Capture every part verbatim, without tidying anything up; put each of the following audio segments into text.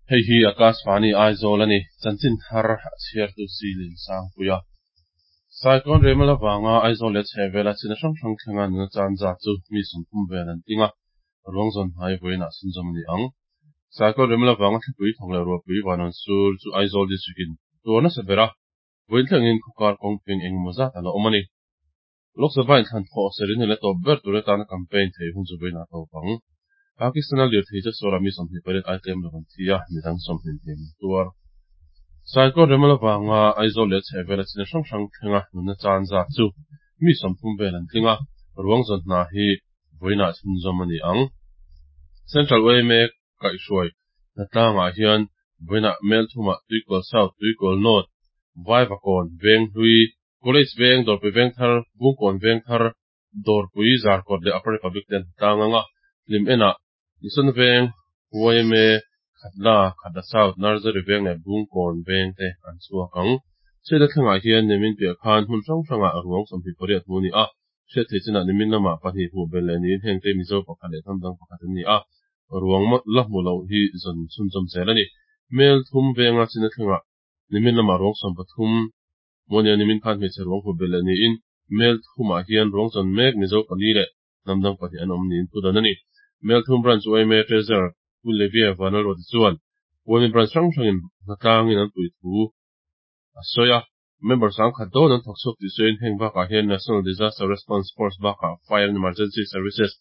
Hei hi Akashvani Aizawl a ni. Chanchin thar a chhiartu si Liansangpui a. Cyclone Remal avanga Aizawl leh chhehvela china hrang hrang thlenga nuna chan zat chu mi sawmthum vel an ting a, ruang zawn hnai vawiinah chhunzawm a ni ang. Cyclone Remal avanga thlipui thawk leh ruahpui van rawn sur chu Aizawl District in tuar nasa ber a, vawiin thlengin khawkar kawngping engemaw zat a la awm a ni. Lok Sabha in thlan thawh serin leh tawp ber tur atana campaign thei hun chu vawiinah tawp ang. Pakistan a lirthei chu sawra mi sawmhnih pariat ai tlem lo an thi a, midang sawmhnih hniam an tuar. Cyclone Remal avanga Aizawl leh chhehvela china hrang hrang thlenga nunna chan zat chu mi sawmthum vel an tling a, ruang zawn hna hi vawiinah chhunzawm a ni ang. Central Y M A kaihhruai hnatlangah hian vawiinah Melthumah Tuikawl South, Tuikawl North, Vaivakawn, Venghlui, College Veng, Dawrpui Vengthar, Bungkawn Vengthar, Dawrpui Zarkawt leh Upper Republic te an hnatlang ang a, hlim enah Mission Veng, Y M A, Khatla, Khatla South, Nursery Veng leh Bungkawn Veng te an chhuak ang. Chhiatna thlengah hian nimin piah khan hmun hrang hrangah ruang sawmhnih pariat hmu a ni a, hriat theih chinah nimin lamah pahnih hmuh belh leh niin heng te Mizo pakhat leh hnam dang pakhat an ni a, ruang la hmu loh hi zawn chhunzawm zel a ni. Mel thum venga china thlengah nimin lamah ruang sawm pathum hmu a ni a, nimin khan hmeichhe ruang hmuh belh leh niin mel thumah hian ruang zawn mek Mizo pali leh hnam dang pahnih an awm niin thu dan a ni. Mel thum Branch Y M A Treasurer Pu Levia Vanlalruati chuan Y M A Branch hrang hrangin hnatlangin an pui thu a sawi a, member sangkhat dawn an thawk chhuak tih sawiin heng bakah hian National Disaster Response Force bakah Fire and Emergency Services,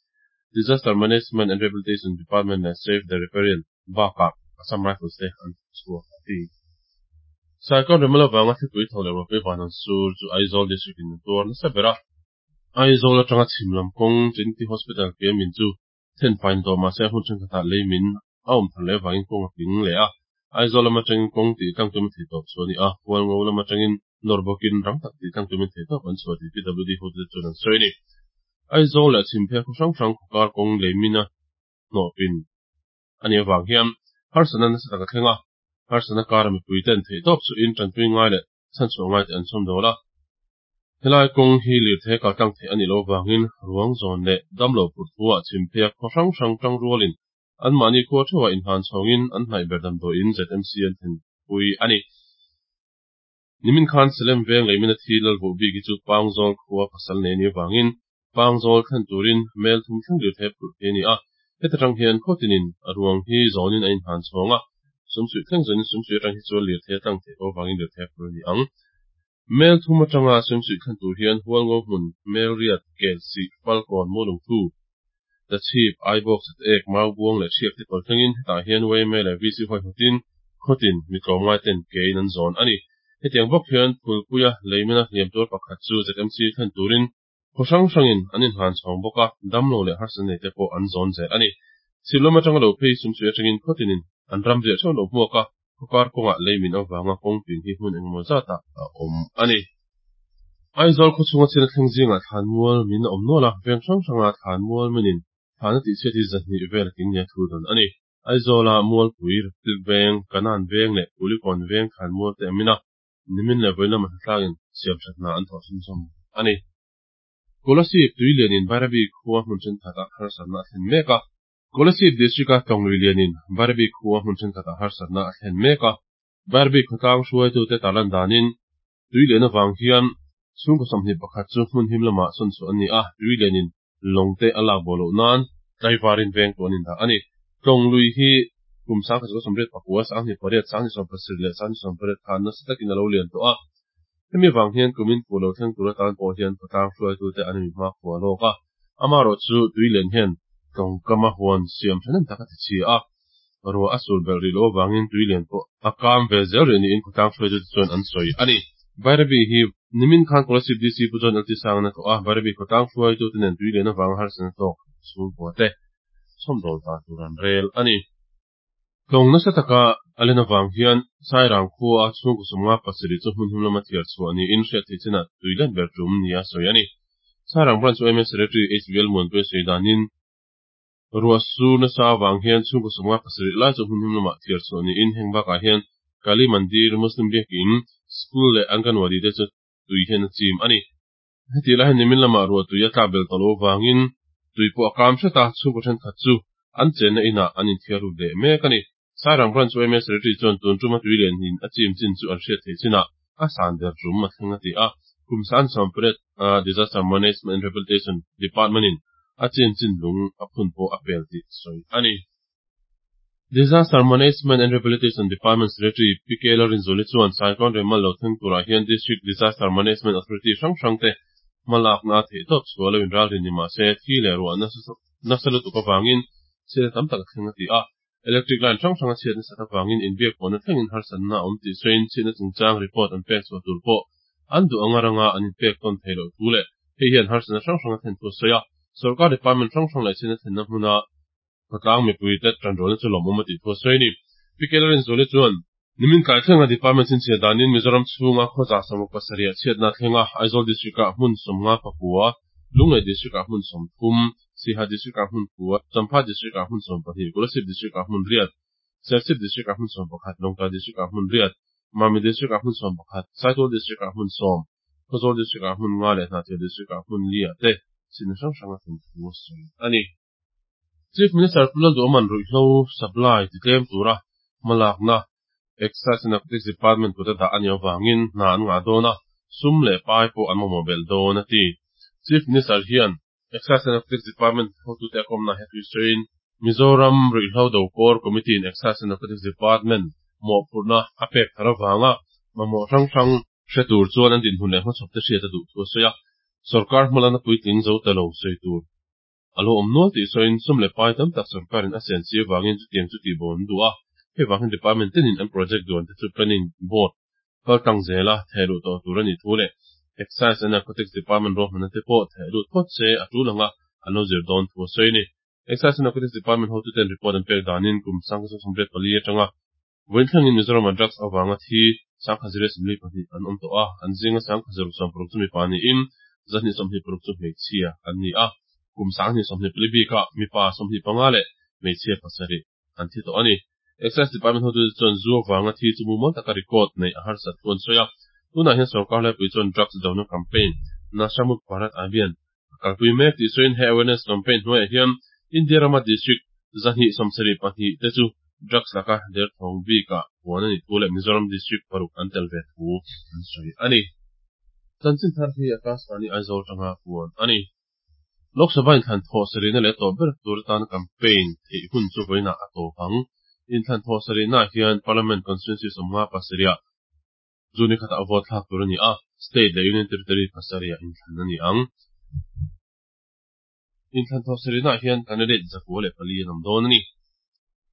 Disaster Management and Rehabilitation Department leh Save the Riparian bakah Assam Rifles te an thawk chhuak a ti. Cyclone Remal avanga thlipui tho leh ruahpui van an sur chu Aizawl District in an tuar nasa ber a, Aizawl atanga chhim lam kawng Trinity Hospital ke min chu thenfai ni tawh mahse hun thenkhatah lei min a awm thar leh avangin kawng a ping leh a, Aizawl lam atangin kawng tih tlang tumin thei tawp chu a ni a, Hualngo lam atangin nawr bawkin rang tak tih tlang tumin thei tawp an chhuah tih P W D hotute chuan an sawi a ni. Aizawl leh chhimphei khaw hrang hrang khawkar kawng lei mina hnawhpin a nih avang hian harsatna nasa tak a thleng a, harsatna kara mipui ten theih tawp chu in tanpui ngai leh chhanchhuah ngai te an chhawm dawl a. Helai kawng hi lirthei kal tlang theih a nih loh avangin ruang zawn leh damlo phurh thuah chhimphei khaw hrang hrang tang rualin anmahni khua theuhah inhlan chhawngin an hnaih ber damdawiin Z M C an thlenpui a ni. Nimin khan Salem veng leimina thi lalvuh bik hi chu Pangzawl khua pasal nei a nih avangin Pangzawl thlen turin mel thum thleng lirthei phurh thei a ni a. Heta tang hian khawtinin a ruang hi zawnin a inhlan chhawng a, sumsuih thleng zawnin sumsuih atang hi chuan lirthei a tlang theih tawh avangin lirthei a phur a ni ang. Mel thum atanga sumsuih thlen tur hian Hualngo hmun, Mel riat, kel sih, Falkawn, Mualungthu, Tachhip, Aibawk, Sateek, Maubuang leh Hriak te kawr thlengin hetah hian Y M A leh V C huaihawtin khawtin mi tlawmngai ten kein an zawn a ni. Hetiang bawk hian Phulpuia leimina hliam tuar pakhat chu Z M C thlen turin khaw hrang hrangin an inhlan chhawng bawk a, damlo leh harsatna nei te pawh an zawn zel a ni. Chhimlam atanga lo phei sumsuih atangin khawtinin an ram riah theuh lo hmuak a, khawkar kawngah leimin avanga kawngpin hi hmun engemaw zatah a awm a ni. Aizawl khawchhunga chhina thleng zingah thlanmual min a awm nual a, veng hrang hranga thlanmual minin thlan a tihchhiat hi zahnih vel a tling nia thu dawn a ni. Aizawla Mualpui, Republic Veng, Kanan Veng leh Kulikawn Veng thlanmual te a min a, nimin leh vawi lama hnatlangin siamthat hna an thawh chhunzawm a ni. Kolasib tui lianin Bairabi khua hmun thenkhatah harsatna a thlen mek a. Kolasib District-a Tlawng lui lianin Bairabi khua hmun thenkhatah harsatna a thlen mek a. Bairabi khawtlang hruaitute tarlan danin tui lian avang hian chhungkaw sawmhnih pakhat chu hmun him lamah sawn chhuah an ni a, tui lianin lawng te a lak bo loh nan tlaivarin veng tu an indah a ni. Tlawng lui hi kum sangkhat chu sawmriat pakua, sanghnih pariat, sanghnih sawm pasarih leh sanghnih sawm pariat khan nasa takin a lo lian tawh a. Hemi vang hian kumin fu lo thleng tur atan pawh hian khawtlang hruaitute an inmi hma khua lawk a. Amaherawh chu tui lian hian tlawngkama huan siam thahnem tak a ti chhia a, ruah a sur belh rih loh avangin tui lian pawh a kam ve zel rih niin khawtlang hruaitute chuan an sawi a ni. Bairabi hi nimin khan Kolasib D C Pu John L T Sangana tlawh a, Bairabi khawtlang hruaitute nen tui lian avanga harsatna tawk chhungkua te chhawmdawl ta tur an rel a ni. Tlawng nasa taka a len avang hian Sairang khua chhungkaw sawmnga pasarih chu hmun him lama thiar chhuah niin hriat theih chinah tui let ber tum nia sawi a ni. Sairang Branch Y M A Secretary H V L Muanpuia sawi danin ruah sur nasa avang hian chhungkaw sawmnga pasarih lai chu hmun him lamah thiar chhuah niin heng bakah hian Kali Mandir, Muslim Biakin, School leh Anganwadi te chu tui hian a chim a ni. Heti lai hian nimin lamah ruah tui a tlak bel tawh lo avangin tui pawh a kam hret a, chhungkaw thenkhat chu an chenna inah an inthiar ruk leh mek a ni. Sairang Branch yma Secretary chuan tun tuma tuilian in a chim chin chu an hriat theih chinah a san ber tum a thleng a ti a. Kum san sawmpariat Disaster Management and Rehabilitation Department in a chin chin lung a phun pawh a pel tih sawi a ni. Disaster Management and Rehabilitation Department Secretary P K Lalrinzuali chuan Cyclone Remal lo thleng turah hian District Disaster Management Authority hrang hrang te hmalakna theihtawp chhuah lo inralrin ni mah se thi leh ruah nasa lutuk avangin chhiatna tam tak a thleng a ti a. Electric line hrang hrang a chhiat nasat avangin inbiak pawhna thlengin harsatna a awm tih sawiin chhiatna chungchang report an pek chhuah tur pawh an duh anga ranga an inpek tawn theih loh thu leh hei hian harsatna hrang hrang a thlen thu a sawi a. Sorkar department hrang hrang leh chhiatna thlenna hmuna khawtlang mipui te tanrualna chu lawmawm a tih thu a sawi a ni. P K Lalrinzuali chuan nimin tlai thlenga department chhinchhiah danin Mizoram chhunga khawza sawmruk pasarih ah chhiatna thlenga Aizawl district ah hmun sawmnga pakua, Lunglei district ah hmun sawmthum, Siha district ah hmun kua, Champhai district ah hmun sawmpahnih, Kolasib district ah hmun riat, Serchhip district ah hmun sawmpakhat, Lawngtlai district ah hmun riat, Mami district ah hmun sawmpakhat, Saitual district ah hmun sawm, Khawzawl district ah hmun nga leh Hnahthial district ah hmun li ah te chhinna hrang hrang a thlen thu a sawi a ni. Chief Minister Pu Lalduhawman ruihhlo supply titlem tura hmalakna Excise and Narcotics Department kuta dah a nih avangin hna an ngah dawn a, sum leh pai pawh an mamawh belh dawn a ti. Chief Minister hian Excise and Narcotics Department hotute a kawmna he thusawiin Mizoram Ruihhlo Do Core Committee in Excise and Narcotics Department mawhphurhna a pek thar avanga mamawh hrang hrang hre tur chuan an dinhmun leh hmachhawp te hriat a duh thu a sawi a. Sorkar hmalakna puitling zo ta lo sawi tur a lo awm nual tih sawiin sum leh pai tam tak sorkarin a sen si avangin chutiang chu tih bawm an duh a. Hei vangin department tenin an project duan te chu planning board kal tlang zela theh luh tawh tur a nih thu leh Excise and Narcotics Department ruahmanna te pawh theh lut phawt se a tul anga an lo zir dawn thu a sawi a ni. Excise and Narcotics Department hotuten report an pek danin kum sangkhat sawmriat pali atanga vawiin thlengin Mizoram-a drugs avanga thi sangkhat zira sawmli pahnih an awm tawh a, an zinga sangkhat zaruk sawm paruk chu mipa niin zahnih sawmhnih paruk chu hmeichhia an ni a, kum sanghnih sawmhnih pali bikah mipa sawmhnih panga leh hmeichhia pasarih an thi tawh a ni. Excise Department hotute chuan zu avanga thi chu mumal taka record neih a harsat thu an sawi a. Tunah hian sorkar laipui chuan drugs dona campaign Nasha Mukt Bharat Abhiyan a kalpui mek tih sawiin he awareness campaign hnuaiah hian India rama district zahnih sawmsarih pahnih te chu drugs laka derthawng bikah puan a nih thu leh Mizoram district paruk an tel ve thu an sawi a ni. Chanchin thar hi Akashvani Aizawl tanga puan a ni. Lok Sabha inthlan thawh sarihna leh tawp ber tur atana campaign theih hun chu vawiinah a tawp ang. Inthlan thawh sarihnaah hian Parliament constituency sawmnga pasarihah June khatah vote thlak tur a ni a, state leh union territory pasarihah inthlan a ni ang. Inthlan thawh sarihnaah hian candidate zakua leh pali an awm dawn a ni.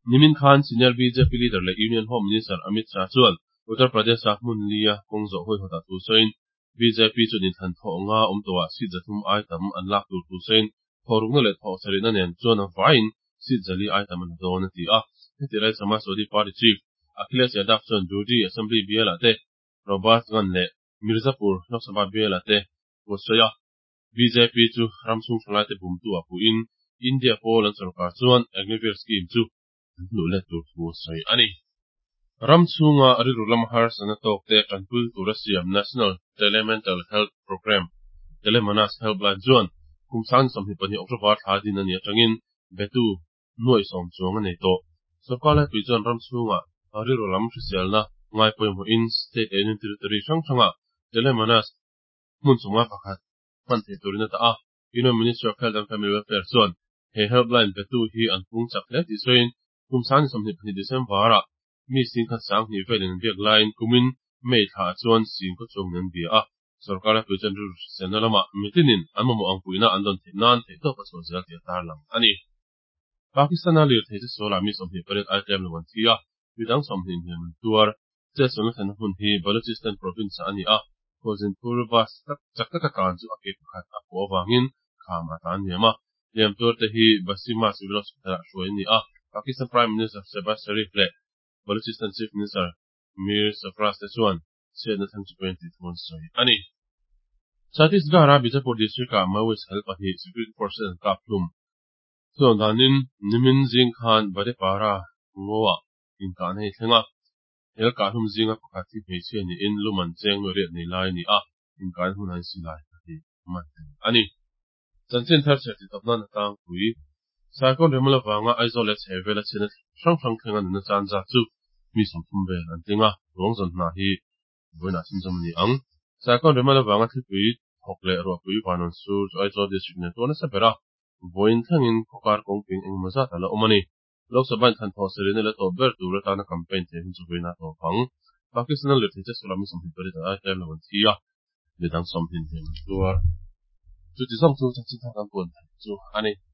Nimin khan senior B J P leader leh Union Home Minister Amit Shah chuan Uttar Pradesh-a hmun lia kawng zawh huaihawtah thu sawiin B J P chuan inthlan thawh nga awm tawhah seat zathum ai tam an lak tur thu sawiin thawhrukna leh thawh sarihna nen chuan a vaiin seat zali ai tam an la dawn a ti a. Heti lai Samajwadi Party Chief Akhilesh Yadav chuan Durdi Assembly bialah te Robertsganj leh Mirzapur Lok Sabha bialah te thu a sawi a. B J P chu ram chhung thalaite bumtu ah puhin India pawl an sorkar chuan Agniveer scheme chu an hnuh let tur thu a sawi a ni. Ram chhunga rilru lama harsatna tawk te tanpui tura siam National Telemental Health Programme, Telemanas Helpline chuan kum sang sawmhnih pahnih October thla din a nih atangin betu nuaih sawm chuang a nei tawh. Sorkar laipui chuan ram chhunga rilru lam hriselna ngai pawimawhin state leh union territory hrang hranga Telemanas hmun chunga pakhat hman theih turin a dah a. Union Ministry of Health and Family Welfare chuan he helpline betu hi an pung chak hle tih sawiin kum sang sawmhnih pahnih December-ah mi singkhat sanghnih velin an biak laiin kumin May thlaah chuan singkaw chuangin an bia a. Sorkar laipui chuan rilru hriselna lamah mitinin an mamawh ang puihna an dawn theih nan theihtawp a chhuah zel tih a tarlang a ni. Pakistan-a lirthei che sualah mi sawmhnih pariat ai tlem lo an thi a, midang sawmhnih hniam an tuar. Chetsualna thlenna hmun hi Balochistan province-ah a ni a, Khualzinphur bus chak taka tlan chu a ke pakhat a pawh avangin kham a tlan hniam a. Hliam tuarte hi Basima Civil Hospital-ah hruai a ni a, Pakistan Prime Minister Shehbaz Sharif leh Balochistan Chief Minister Mir Sarfraz te chuan chhiatna thleng chu pawi an tih thu an sawi a ni. Chhattisgarh-a Bijapur district-ah Maoist hel pahnih security forces an kap hlum. Chuan danin nimin zing khan Badepara Ngoa inkahna hi thleng a, hel kah hlum zinga pakhat hi hmeichhia niin luman cheng nuai riat nei lai a ni a, inkahna hmunah hian silai pahnih man tel a ni. Chanchin thar chhiar tih tawp nan a tlangpui. Cyclone Remal avanga Aizawl leh chhehvela chhiatna hrang hrang thlenga nunna chan zat chu mi sawmthum vel an tling a, ruang zawn hna hi vawiinah chhunzawm a ni ang. Cyclone Remal avanga thlipui thawk leh ruahpui vanawn sur chu Aizawl District nen tuar nasa ber a, vawiin thlengin khawkar kawngping engemaw zat a la awm a ni. Lok Sabha inthlan thawh serina la tawp ber tur atana campaign thei hun chu vawiinah tawp ang. Pakistan-a lirthei che sulah mi sawmhnih pariat an ai tlem lo an thi a, midang sawmhnih hliam an tuar. Chuti zawng chu chanchin thar kan puan theih chu a ni.